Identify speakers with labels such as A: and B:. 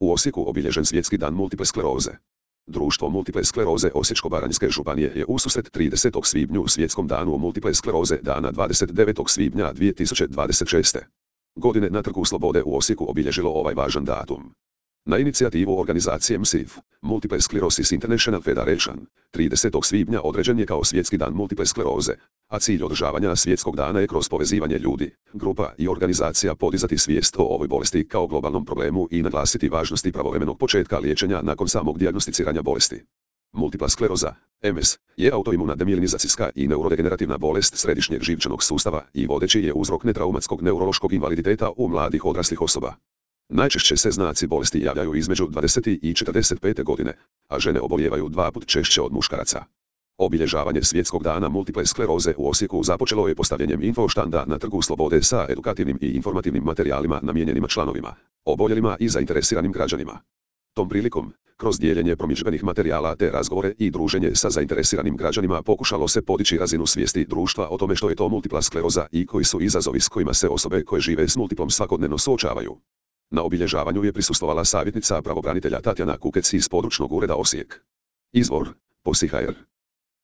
A: U Osijeku obilježen Svjetski dan multiple skleroze. Društvo multiple skleroze Osječko-baranjske županije je ususret 30. svibnju Svjetskom danu multiple skleroze dana 29. svibnja 2026. godine na Trgu Slobode u Osijeku obilježilo ovaj važan datum. Na inicijativu organizacije MSIF, Multiple Sclerosis International Federation, 30. svibnja određen je kao Svjetski dan multiple skleroze, a cilj održavanja svjetskog dana je kroz povezivanje ljudi, grupa i organizacija podizati svijest o ovoj bolesti kao globalnom problemu i naglasiti važnosti pravovremenog početka liječenja nakon samog dijagnosticiranja bolesti. Multipla skleroza, MS, je autoimuna demilinizacijska i neurodegenerativna bolest središnjeg živčanog sustava i vodeći je uzrok netraumatskog neurološkog invaliditeta u mladih odraslih osoba. Najčešće se znaci bolesti javljaju između 20 i 45 godine, a žene obolijevaju 2 puta češće od muškaraca. Obilježavanje Svjetskog dana multiple skleroze u Osijeku započelo je postavljanjem infoštanda na Trgu Slobode sa edukativnim i informativnim materijalima namijenjenima članovima, oboljelima i zainteresiranim građanima. Tom prilikom, kroz dijeljenje promidžbenih materijala te razgovore i druženje sa zainteresiranim građanima pokušalo se podići razinu svijesti društva o tome što je to multipla skleroza i koji su izazovi s kojima se osobe koje žive s multiplom svakodnevno suočavaju. Na obilježavanju je prisustvovala savjetnica pravobranitelja Tatjana Kukec iz područnog ureda Osijek. Izvor: POSI.hr